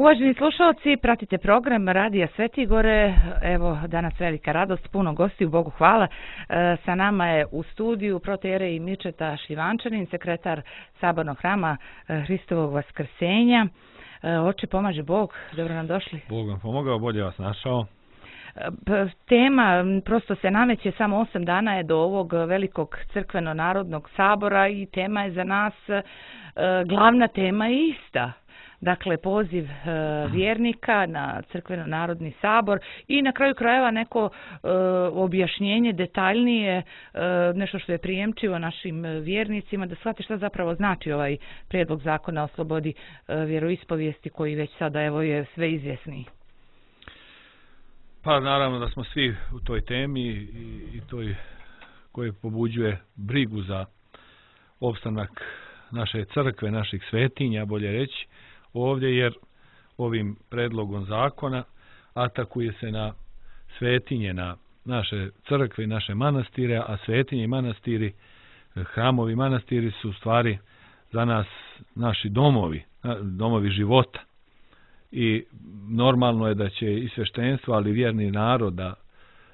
Uvaženi slušalci, pratite program Radija Svetigore. Evo, danas velika radost, puno gostiju, Bogu hvala. Sa nama je u studiju protoijerej Mičeta Šljivančanin, sekretar Sabornog hrama Hristovog Vaskrsenja. Oče, pomaže Bog, dobro nam došli. Bog vam pomogao, bolje vas našao. Tema prosto se nameće, samo 8 dana je do ovog velikog crkveno-narodnog sabora i tema je za nas, glavna tema je ista. Dakle, poziv vjernika na crkveno-narodni sabor i na kraju krajeva neko objašnjenje detaljnije, nešto što je prijemčivo našim vjernicima, da shvate šta zapravo znači ovaj prijedlog zakona o slobodi vjeroispovijesti koji već sada evo je sve izvjesniji. Pa naravno da smo svi u toj temi i toj koji pobuđuje brigu za opstanak naše crkve, naših svetinja, bolje reći, ovdje, jer ovim predlogom zakona atakuje se na svetinje, na naše crkve i naše manastire, a svetinje i manastiri, hramovi i manastiri su u stvari za nas naši domovi života. I normalno je da će i sveštenstvo, ali vjerni narod da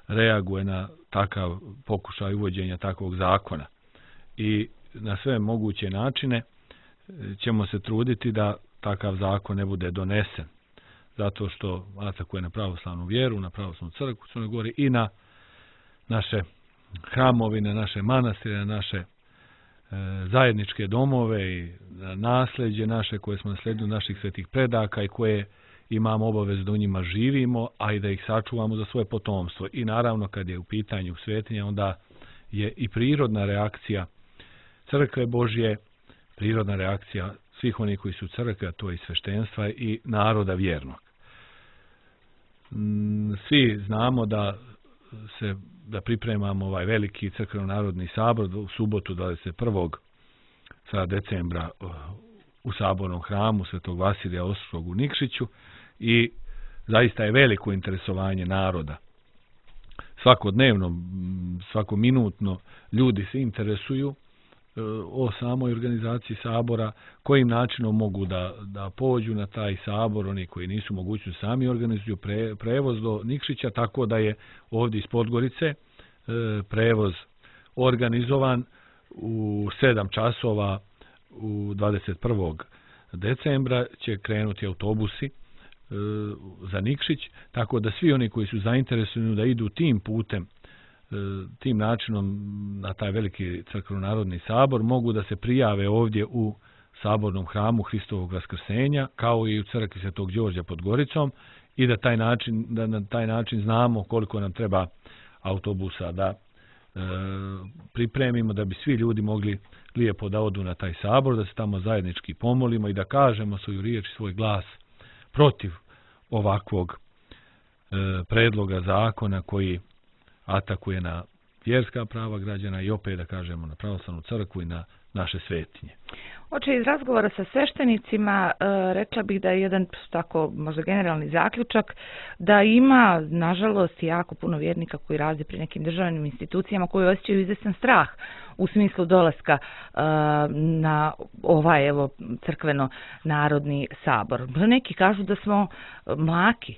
reaguje na takav pokušaj uvođenja takvog zakona. I na sve moguće načine ćemo se truditi da takav zakon ne bude donesen. Zato što atakuje na pravoslavnu vjeru, na pravoslavnu crkvu u Crnoj Gori i na naše hramovi, na naše manastire, na naše zajedničke domove i na nasljeđe naše koje smo naslijedili od naših svetih predaka i koje imamo obavezu da u njima živimo, a i da ih sačuvamo za svoje potomstvo. I naravno kad je u pitanju svetinja, onda je i prirodna reakcija crkve Božje, prirodna reakcija svih onih koji su u crkvi, a to je i sveštenstva i naroda vjernog. Svi znamo da pripremamo ovaj veliki crkveno-narodni sabor u subotu 21. decembra u Sabornom hramu Svetog Vasilija Ostroškog u Nikšiću i zaista je veliko interesovanje naroda. Svakodnevno, svakominutno ljudi se interesuju o samoj organizaciji sabora, kojim načinom mogu da pođu na taj sabor, oni koji nisu mogućni sami organizuju prevoz do Nikšića, tako da je ovdje iz Podgorice prevoz organizovan u 7 časova u 21. decembra će krenuti autobusi za Nikšić, tako da svi oni koji su zainteresovani da idu tim putem, tim načinom na taj veliki crkveno-narodni sabor mogu da se prijave ovdje u Sabornom hramu Hristovog Vaskrsenja, kao i u crkvi Svetog Đorđa pod Goricom, i da na taj način znamo koliko nam treba autobusa da pripremimo, da bi svi ljudi mogli lijepo da odu na taj sabor, da se tamo zajednički pomolimo i da kažemo svoju riječ i svoj glas protiv ovakvog predloga zakona koji atakuje na vjerska prava građana i opet da kažemo na pravoslavnu crkvu i na naše svetinje. Oče, iz razgovora sa sveštenicima rekla bih da je jedan tako možda generalni zaključak da ima nažalost jako puno vjernika koji rade pri nekim državnim institucijama koji osjećaju izvestan strah u smislu dolaska na ovaj evo crkveno-narodni sabor. Neki kažu da smo mlaki.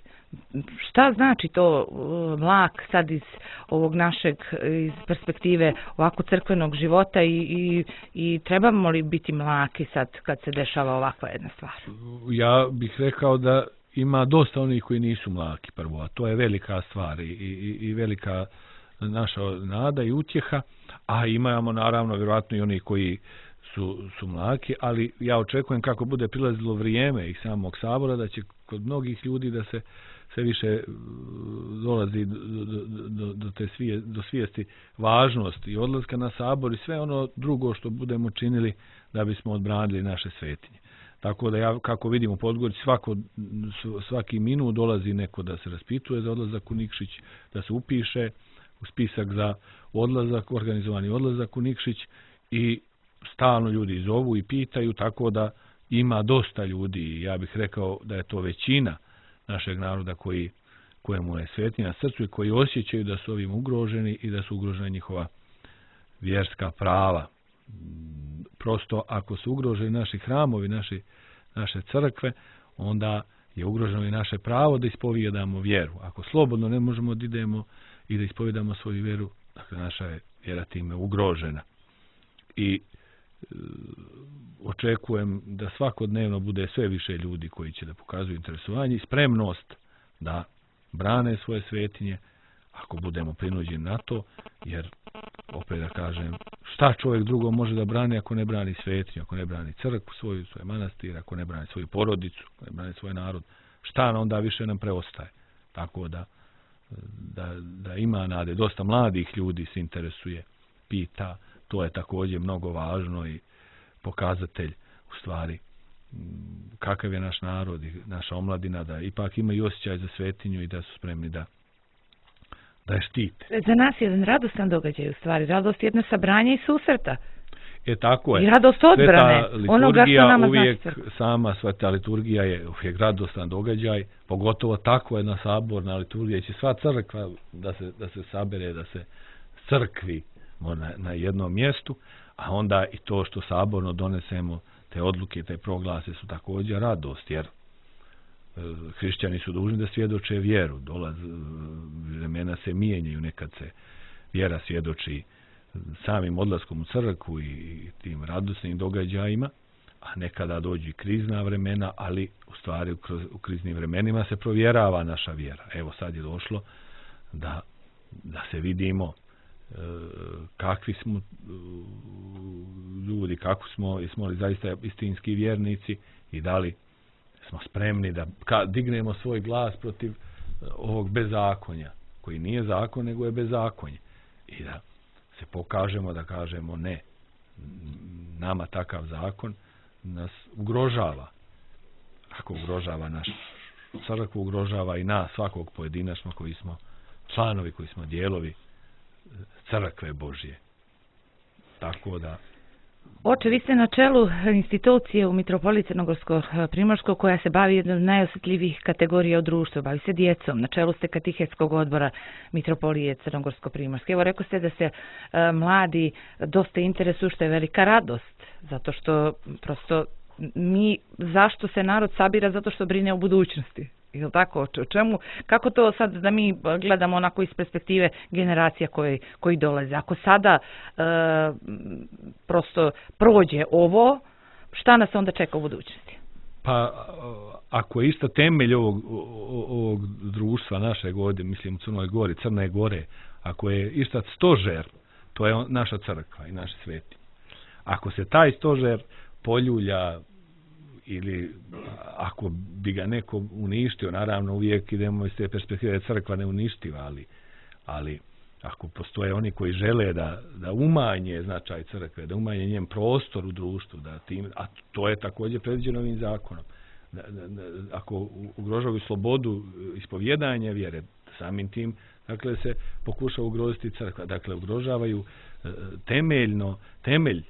Šta znači to mlak sad iz ovog našeg iz perspektive ovako crkvenog života i trebamo li biti mlaki sad kad se dešava ovakva jedna stvar? Ja bih rekao da ima dosta onih koji nisu mlaki prvo, a to je velika stvar i velika naša nada i utjeha, a imamo naravno vjerojatno i oni koji su mlaki, ali ja očekujem kako bude prilazilo vrijeme i samog sabora da će kod mnogih ljudi da se sve više dolazi do svijesti važnosti i odlaska na sabor i sve ono drugo što budemo činili da bismo odbranili naše svetinje. Tako da ja, kako vidim u Podgorici, svaki minut dolazi neko da se raspituje za odlazak u Nikšić, da se upiše u spisak za odlazak, organizovani odlazak u Nikšić i stalno ljudi zovu i pitaju, tako da ima dosta ljudi i ja bih rekao da je to većina našeg naroda kojemu je svetinja na srcu i koji osjećaju da su ovim ugroženi i da su ugrožena njihova vjerska prava. Prosto ako su ugroženi naši hramovi, naše crkve, onda je ugroženo i naše pravo da ispovijedamo vjeru. Ako slobodno ne možemo da idemo i da ispovijedamo svoju vjeru, dakle naša je vjera time ugrožena. I očekujem da svakodnevno bude sve više ljudi koji će da pokazuju interesovanje i spremnost da brane svoje svetinje, ako budemo prinuđeni na to, jer, opet da kažem, šta čovjek drugo može da brani ako ne brani svetinju, ako ne brani crkvu svoju, svoj manastir, ako ne brani svoju porodicu, ako ne brani svoj narod, šta onda više nam preostaje. Tako da ima nade, dosta mladih ljudi se interesuje, pita, to je također mnogo važno i pokazatelj u stvari kakav je naš narod i naša omladina, da ipak imaju osjećaj za svetinju i da su spremni da je štite. Za nas je jedan radostan događaj u stvari, radost jedno sabranje i susreta. Tako je. I radost odbrane onoga što nama uvijek, znači. sama sveta liturgija je uvijek radostan događaj, pogotovo takva jedna saborna liturgija, će sva crkva da se sabere, da se crkvi na jednom mjestu, a onda i to što saborno donesemo te odluke, te proglase su također radost, jer hrišćani su dužni da svjedoče vjeru, vremena se mijenjaju, nekad se vjera svjedoči samim odlaskom u crkvu i tim radosnim događajima, a nekada dođu i krizna vremena, ali u stvari u kriznim vremenima se provjerava naša vjera. Evo sad je došlo da se vidimo kakvi smo ljudi, kako smo li zaista istinski vjernici i da li smo spremni da dignemo svoj glas protiv ovog bezakonja, koji nije zakon, nego je bezakonje. I da se pokažemo, da kažemo ne. Nama takav zakon nas ugrožava. Ako ugrožava našu crkvu, ugrožava i nas, svakog pojedinačno koji smo članovi, koji smo dijelovi crkve Božje. Tako da... Oče, vi ste na čelu institucije u Mitropoliji Crnogorsko-Primorskoj koja se bavi jednom od najosjetljivijih kategorija u društvu, bavi se djecom. Na čelu ste katehetskog odbora Mitropolije Crnogorsko-Primorske. Evo, rekao ste da se mladi dosta interesuju, što je velika radost, zato što prosto zašto se narod sabira? Zato što brine o budućnosti. Ili tako? O čemu? Kako to sad da mi gledamo onako iz perspektive generacija koji dolaze? Ako sada prosto prođe ovo, šta nas onda čeka u budućnosti? Pa, ako je isto temelj ovog društva našeg ovdje, mislim u Crnoj Gori, Crne Gore, ako je isto stožer, to je naša crkva i naši sveti. Ako se taj stožer poljulja ili ako bi ga neko uništio, naravno uvijek idemo iz te perspektive da crkva ne uništiva, ali ako postoje oni koji žele da umanje značaj crkve, da umanje njen prostor u društvu, a to je također predviđeno ovim zakonom, ako ugrožavaju slobodu ispovjedanja vjere, samim tim dakle se pokušava ugroziti crkva, dakle ugrožavaju temelj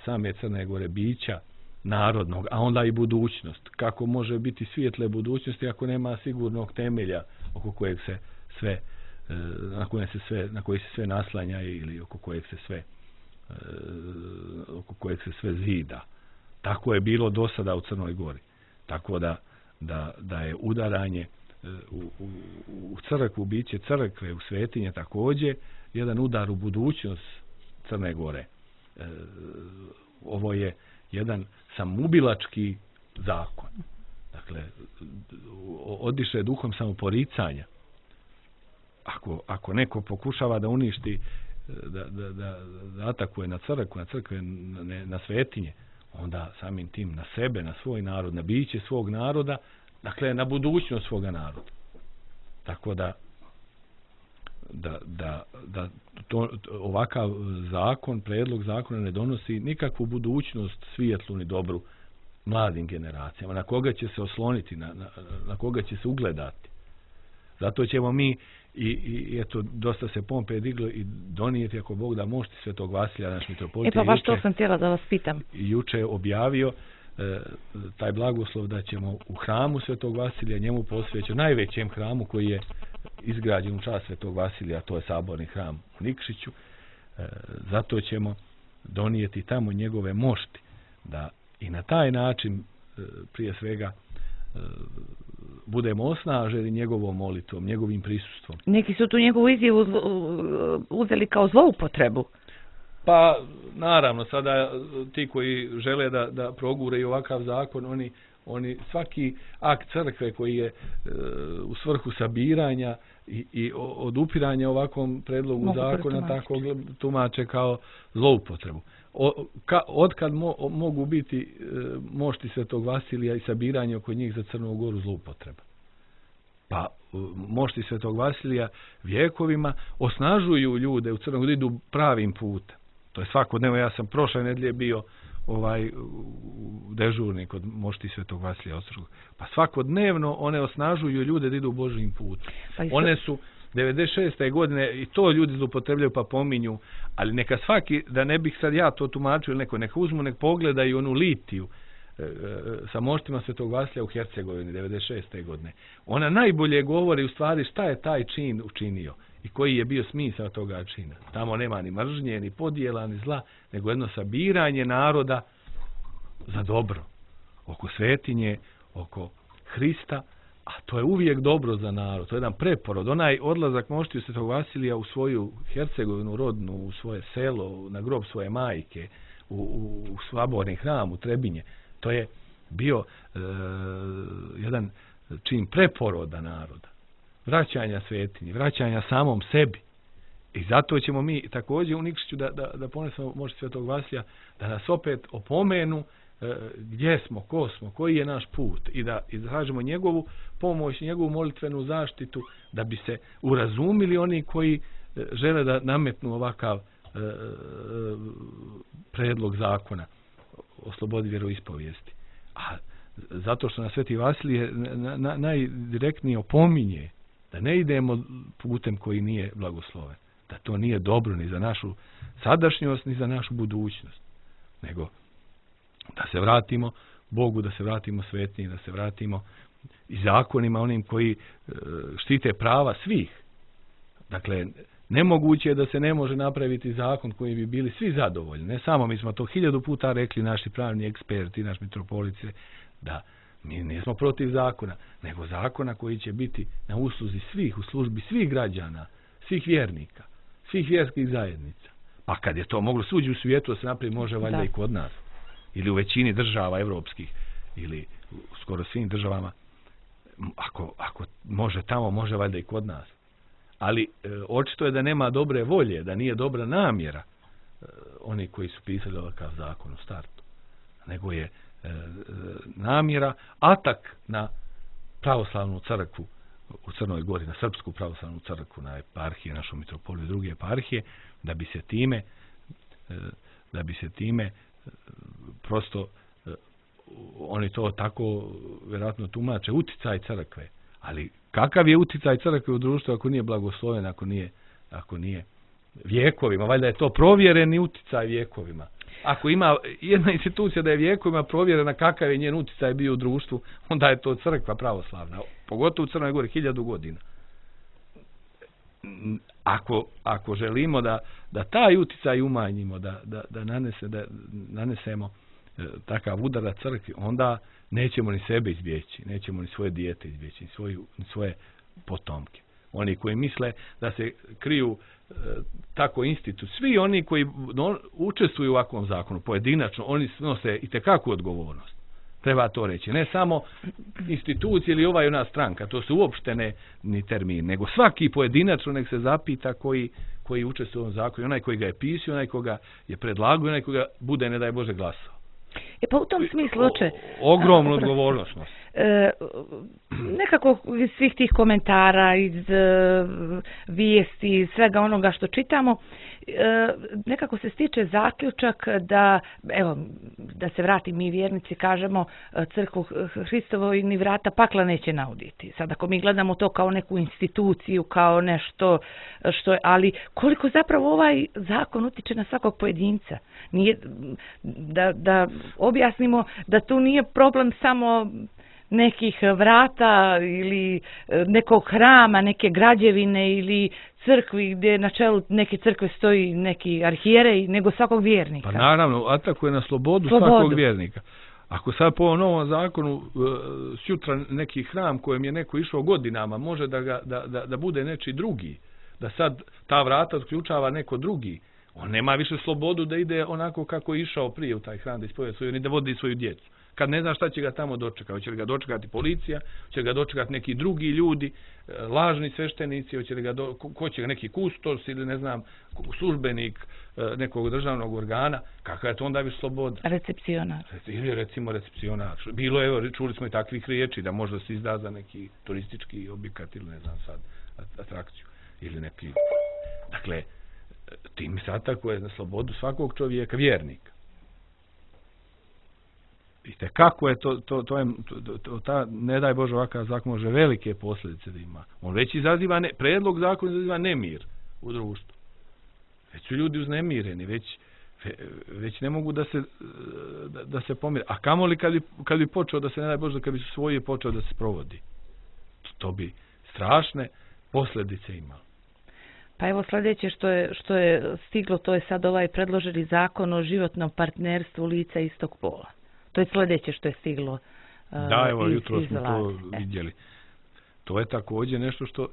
same Crne Gore bića narodnog, a onda i budućnost. Kako može biti svijetle budućnosti ako nema sigurnog temelja oko kojeg se sve na koji se sve naslanja ili oko kojeg se sve zida. Tako je bilo do sada u Crnoj Gori. Tako da je udaranje u crkvu, biće crkve, u svetinje također jedan udar u budućnost Crne Gore. Ovo je jedan samoubilački zakon. Dakle, odiše duhom samoporicanja. Ako neko pokušava da uništi, da atakuje na crkve, na svetinje, onda samim tim na sebe, na svoj narod, na biće svog naroda, dakle na budućnost svoga naroda. Tako da ovakav zakon, predlog zakona ne donosi nikakvu budućnost svijetlu ni dobru mladim generacijama. Na koga će se osloniti, na koga će se ugledati. Zato ćemo mi i eto, dosta se pompe diglo i donijeti, ako Bog da, mošti Svetog Vasilija, naš mitropolit. Pa baš to sam htjela da vas pitam. Juče objavio taj blagoslov da ćemo u hramu Svetog Vasilija, njemu posvećen, najvećem hramu koji je izgrađen u čast Svetog Vasilija, to je saborni hram u Nikšiću, zato ćemo donijeti tamo njegove mošti, da i na taj način prije svega budemo osnaženi njegovom molitvom, njegovim prisustvom. Neki su tu njegovu izjavu uzeli kao zloupotrebu. Pa, naravno, sada ti koji žele da progure i ovakav zakon, oni svaki akt crkve koji je u svrhu sabiranja i odupiranja ovakvom predlogu zakona tako tumače kao zloupotrebu. Otkad mogu biti mošti Svetog Vasilija i sabiranje oko njih za Crnu Goru zloupotreba? Pa mošti Svetog Vasilija vjekovima osnažuju ljude u Crnoj Gori, idu pravim putem. To je svakodnevno. Ja sam prošle nedelje bio dežurni kod mošti Svetog Vasilija Ostroškog. Pa svakodnevno one osnažuju ljude da idu Božjim putem. One su 96. godine i to ljudi zloupotrebljaju pa pominju, ali neka svaki, da ne bih sad ja to tumačio ili neko, neka uzmu, nek pogledaju onu litiju sa moštima Svetog Vasilija u Hercegovini 96. godine. Ona najbolje govori u stvari šta je taj čin učinio i koji je bio smisao toga čina. Tamo nema ni mržnje, ni podjela, ni zla, nego jedno sabiranje naroda za dobro. Oko svetinje, oko Hrista, a to je uvijek dobro za narod. To je jedan preporod. Onaj odlazak moštiju Svetog Vasilija u svoju Hercegovinu rodnu, u svoje selo, na grob svoje majke, u Slaborni hram, u Trebinje, to je bio jedan čin preporoda naroda. Vraćanja svetinji, vraćanja samom sebi. I zato ćemo mi također u Nikšiću da ponesemo mošti Svetog Vasilija, da nas opet opomenu gdje smo, ko smo, koji je naš put i da tražimo njegovu pomoć, njegovu molitvenu zaštitu da bi se urazumili oni koji žele da nametnu ovakav predlog zakona o slobodi vjeroispovijesti. A zato što nas Sveti Vasilije najdirektnije opominje da ne idemo putem koji nije blagosloven, da to nije dobro ni za našu sadašnjost ni za našu budućnost, nego da se vratimo Bogu, da se vratimo svetinji, da se vratimo i zakonima onim koji štite prava svih. Dakle, nemoguće je da se ne može napraviti zakon koji bi bili svi zadovoljni. Ne samo, mi smo to 1000 puta rekli, naši pravni eksperti, naš mitropolice, da mi nismo protiv zakona, nego zakona koji će biti na usluzi svih, u službi svih građana, svih vjernika, svih vjerskih zajednica. Pa kad je to moglo suđi u svijetu, da se napravi može valjda i kod nas. Ili u većini država evropskih, ili u skoro svim državama, ako može tamo, može valjda i kod nas. Ali očito je da nema dobre volje, da nije dobra namjera oni koji su pisali ovakav zakon u startu. Nego je namjera atak na pravoslavnu crkvu u Crnoj Gori, na srpsku pravoslavnu crkvu, na eparhije, našu mitropoliju i druge eparhije, da bi se time prosto oni to tako vjerojatno tumače, uticaj crkve. Ali kakav je uticaj crkve u društvu ako nije blagosloven, ako nije vjekovima? Valjda je to provjereni uticaj vjekovima. Ako ima jedna institucija da je vjekovima provjerena kakav je njen uticaj bio u društvu, onda je to crkva pravoslavna. Pogotovo u Crnoj Gori 1000 godina. Ako želimo da taj uticaj umanjimo, da nanesemo takav udarac crkvi, onda nećemo ni sebe izbjeći, nećemo ni svoje dijete izbjeći, ni svoje potomke. Oni koji misle da se kriju tako institut, svi oni koji učestvuju u ovakvom zakonu, pojedinačno, oni snose itekakvu odgovornost. Treba to reći. Ne samo institucije ili ova i ona stranka, to su uopšte ni termin, nego svaki pojedinačno nek se zapita koji učestvuje u ovom zakonu, onaj koji ga je pisao, onaj koga je predlagao, onaj koga bude, ne daj Bože, glasao. Pa u tom smislu ogromnu odgovornost. Nekako iz svih tih komentara, iz vijesti, svega onoga što čitamo, nekako se stiče zaključak da, evo, da se vrati mi vjernici, kažemo, crkvu Hristovoj ni vrata pakla neće nauditi. Sad ako mi gledamo to kao neku instituciju, kao nešto što je, ali koliko zapravo ovaj zakon utiče na svakog pojedinca. Nije, da objasnimo da tu nije problem samo nekih vrata ili nekog hrama, neke građevine ili crkvi gdje na čelu neke crkve stoji neki arhijerej, nego svakog vjernika. Pa naravno, atakuje na slobodu svakog vjernika. Ako sad po ovom novom zakonu sutra neki hram kojem je neko išao godinama može da bude nečiji drugi, da sad ta vrata otključava neko drugi, on nema više slobodu da ide onako kako je išao prije u taj hram da ispovjeda svoju, ni da vodi svoju djecu. Kad ne zna šta će ga tamo dočekati, hoće li ga dočekati policija, hoće li ga dočekati neki drugi ljudi, lažni sveštenici, hoće li ga ko će ga neki kustos ili ne znam, službenik nekog državnog organa, kakva je to onda više sloboda? Recepcionar. Ili recimo recepcionar. Bilo je, evo, čuli smo i takvih riječi da možda se izda za neki turistički objekat ili ne znam sad, atrakciju. Ili neki... Dakle, tim sad tako je na slobodu svakog čovjeka vjernika. I kako je ta, ne daj Bože, ovakav zakon može velike posljedice da ima. On već izaziva, predlog zakona izaziva nemir u društvu. Već su ljudi uznemireni, već ne mogu da se pomire. A kamoli kad bi počeo da se, ne daj Bože, kad bi svoje počeo da se provodi. To bi strašne posljedice imalo. Pa evo sljedeće što je stiglo, to je sad ovaj predloženi zakon o životnom partnerstvu lica istog pola. To je sljedeće što je stiglo. Da, evo, jutro smo to vidjeli. To je također nešto što,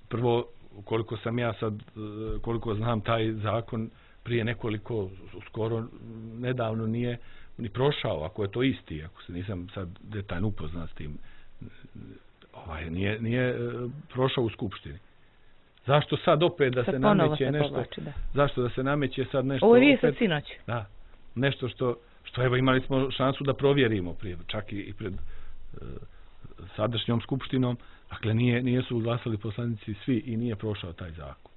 prvo, koliko sam ja sad, koliko znam taj zakon prije nekoliko, skoro nedavno nije ni prošao, ako je to isti, ako se nisam sad detaljno upoznat s tim, nije prošao u skupštini. Zašto sad opet da se nameće nešto? Povlači, da. Zašto da se nameće sad nešto? Ovo je sad sinoć. Da, nešto što evo imali smo šansu da provjerimo prije, čak i pred sadašnjom skupštinom, dakle nije su glasali poslanici svi i nije prošao taj zakon.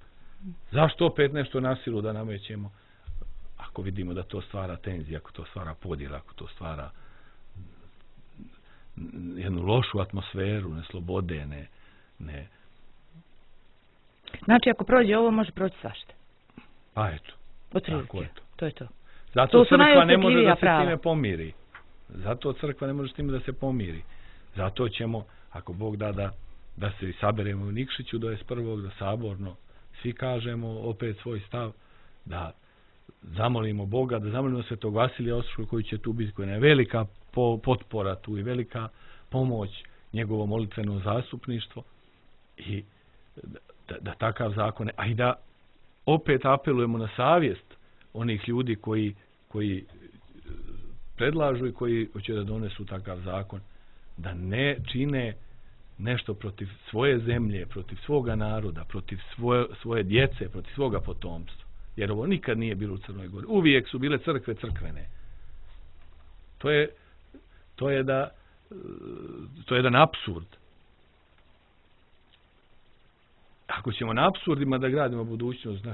Zašto opet nešto na silu da namećemo? Ako vidimo da to stvara tenziju, ako to stvara podjel, ako to stvara jednu lošu atmosferu, neslobode, ne. Znači, ako prođe ovo, može proći svašta. Pa eto. Otprilike. To je to. Zato crkva ne može da se s time pomiri. Zato crkva ne može s time da se pomiri. Zato ćemo, ako Bog da se saberemo u Nikšiću do 21. da saborno svi kažemo opet svoj stav, da zamolimo Boga, da zamolimo Svetog Vasilija Ostroškog koji će tu biti, koja je velika potpora tu i velika pomoć njegovo molitveno zastupništvo i da takav zakon, a i da opet apelujemo na savjest onih ljudi koji predlažu i koji hoće da donesu takav zakon, da ne čine nešto protiv svoje zemlje, protiv svoga naroda, protiv svoje djece, protiv svoga potomstva. Jer ovo nikad nije bilo u Crnoj Gori. Uvijek su bile crkve crkvene. To je jedan apsurd. Ako ćemo na apsurdima da gradimo budućnost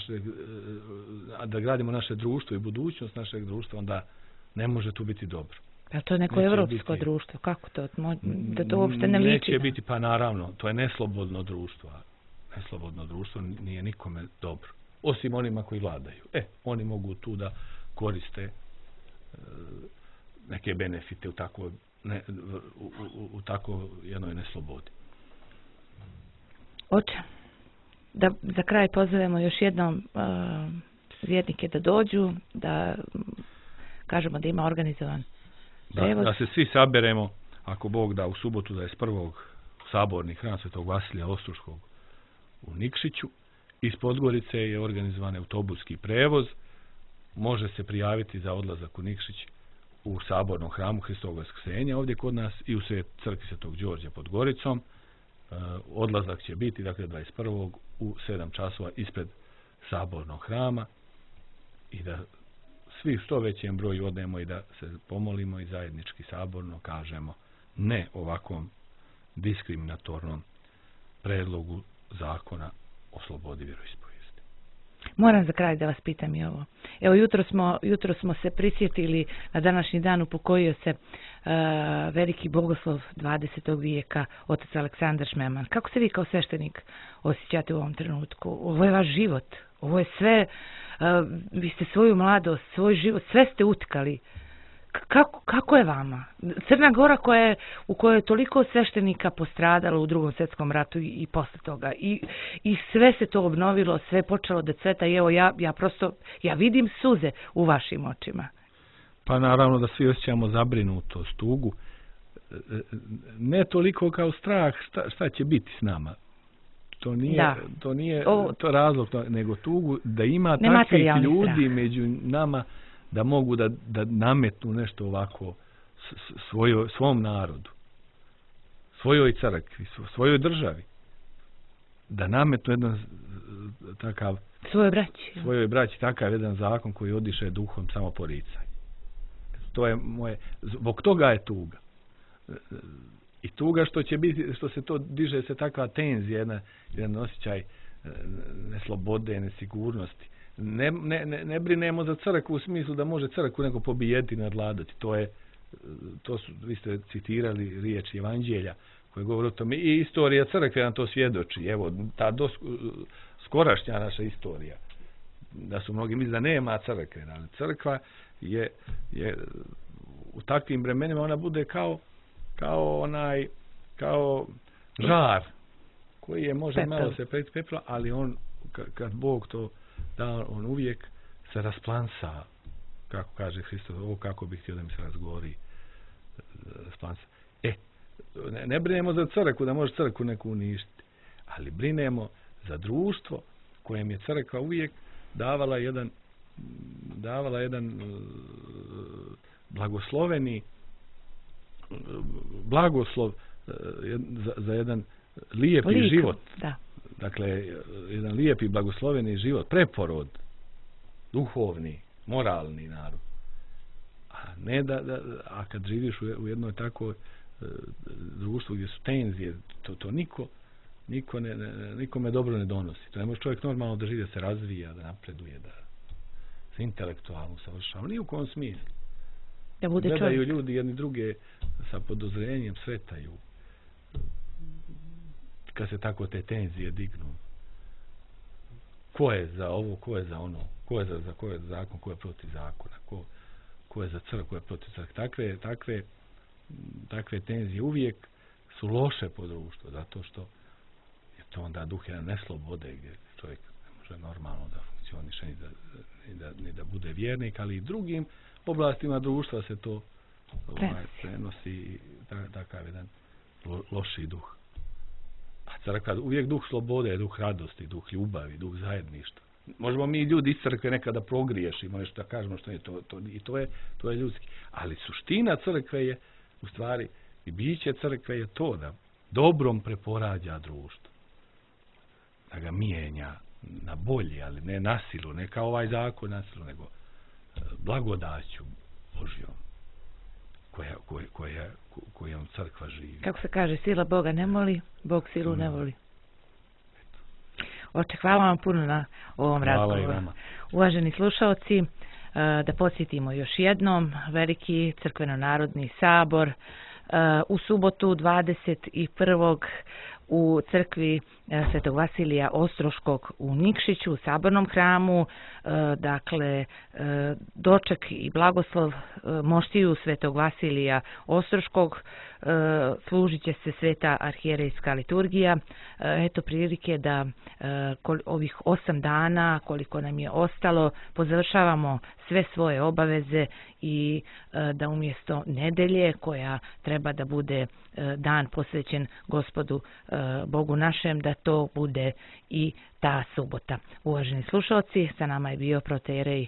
da gradimo naše društvo i budućnost našeg društva, onda ne može tu biti dobro. A to je neko evropsko društvo, kako to? Da to uopšte ne liči? Neće biti, pa naravno, to je neslobodno društvo. Neslobodno društvo nije nikome dobro. Osim onima koji vladaju. Oni mogu tu da koriste neke benefite u tako jednoj neslobodi. Oče, da za kraj pozovemo još jednom vjernike da dođu, da kažemo da ima organizovan prevoz. Da se svi saberemo, ako Bog da, u subotu 21. saborni hram Svetog Vasilija Ostroškog u Nikšiću. Iz Podgorice je organizovan autobuski prevoz. Može se prijaviti za odlazak u Nikšić u sabornom hramu Hristovog Vaskrsenja ovdje kod nas i u crkvi Svetog Đorđa pod Goricom. Odlazak će biti, dakle, 21. u 7 časova ispred sabornog hrama i da svi što većem broju odemo i da se pomolimo i zajednički saborno kažemo ne ovakvom diskriminatornom predlogu zakona o slobodi vjeroispovijesti. Moram za kraj da vas pitam i ovo. Evo, jutro smo se prisjetili na današnji dan upokojio se veliki bogoslov 20. vijeka, otac Aleksandar Šmeman. Kako se vi kao sveštenik osjećate u ovom trenutku? Ovo je vaš život. Ovo je sve, vi ste svoju mladost, svoj život, sve ste utkali. Kako je vama? Crna Gora u kojoj je toliko sveštenika postradalo u Drugom svjetskom ratu i posle toga. I sve se to obnovilo, sve je počelo da cveta i evo ja vidim suze u vašim očima. Pa naravno da svi osjećamo zabrinutost, tugu. Ne toliko kao strah šta će biti s nama. To nije to razlog, nego tugu da ima takvih ljudi strah među nama da mogu da nametnu nešto ovako svom narodu, svojoj crkvi, svojoj državi. Da nametnu jedan takav svojoj braći takav jedan zakon koji odiše duhom samoporicanja. To je zbog toga je tuga. I tuga što će biti, što se to diže se takva tenzija, jedan osjećaj neslobode, nesigurnosti. Ne brinemo za crkvu u smislu da može crkvu neko pobijediti, nadvladati. Vi ste citirali riječi Evanđelja koje govore o tome. I istorija crkve nam to svjedoči. Evo, ta skorašnja naša istorija. Da su mnogi misli da nema crkve. Ali crkva je u takvim vremenima ona bude kao žar koji je može malo se pepla, ali on kad Bog to da, on uvijek se rasplansa, kako kaže Hristos, ovo kako bih htio da mi se razgovori, rasplansa. Ne brinemo za crkvu, da može crkvu neku uništiti, ali brinemo za društvo kojem je crkva uvijek davala jedan blagosloveni blagoslov za jedan lijepi život. Da. Dakle, jedan lijepi blagosloveni život, preporod, duhovni, moralni narod. A ne a kad živiš u jednoj takvoj društvu gdje su tenzije, to nikome dobro ne donosi. To ne može čovjek normalno da živi, da se razvija, da napreduje, da se intelektualno usavršava. Ni u kom smislu. Da bude gledaju ljudi jedni druge sa podozrenjem, svetaju. Kad se tako te tenzije dignu. Ko je za ovo, ko je za ono, ko je za zakon, ko je protiv zakona, ko je za crkvu, ko je protiv crkve. Takve tenzije uvijek su loše po društvu, zato što je to onda duh jedna neslobode gdje čovjek ne može normalno da funkcioniše ni da bude vjernik, ali i drugim oblastima društva se to prenosi takav jedan loši duh. A crkva uvijek duh slobode, duh radosti, duh ljubavi, duh zajedništva. Možemo mi ljudi iz crkve nekada progriješimo, nešto da kažemo što je to je ljudski. Ali suština crkve je u stvari i biće crkve je to da dobrom preporađa društvo. Da ga mijenja na bolje, ali ne nasilu, ne kao ovaj zakon nasilu, nego blagodaću Božjom kojom crkva živi. Kako se kaže, sila Boga ne moli, Bog silu ne voli. Oče, hvala vam puno na ovom razgovoru. Uvaženi slušalci, da podsjetimo još jednom, Veliki crkveno-narodni sabor u subotu 21. u crkvi Svetog Vasilija Ostroškog u Nikšiću, u Sabornom hramu, dakle, doček i blagoslov moštiju Svetog Vasilija Ostroškog, služit će se sveta arhijerejska liturgija. Eto prilike da ovih 8 dana, koliko nam je ostalo, pozavršavamo sve svoje obaveze i da umjesto nedelje, koja treba da bude dan posvećen Gospodu Bogu našem, da to bude i ta subota. Uvaženi slušalci, sa nama je bio proterej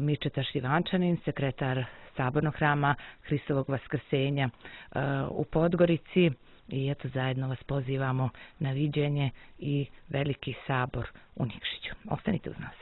Mirčeta Šljivančanin, sekretar Sabornog hrama Hristovog vaskrsenja u Podgorici, i eto zajedno vas pozivamo na viđenje i Veliki sabor u Nikšiću. Ostanite uz nas.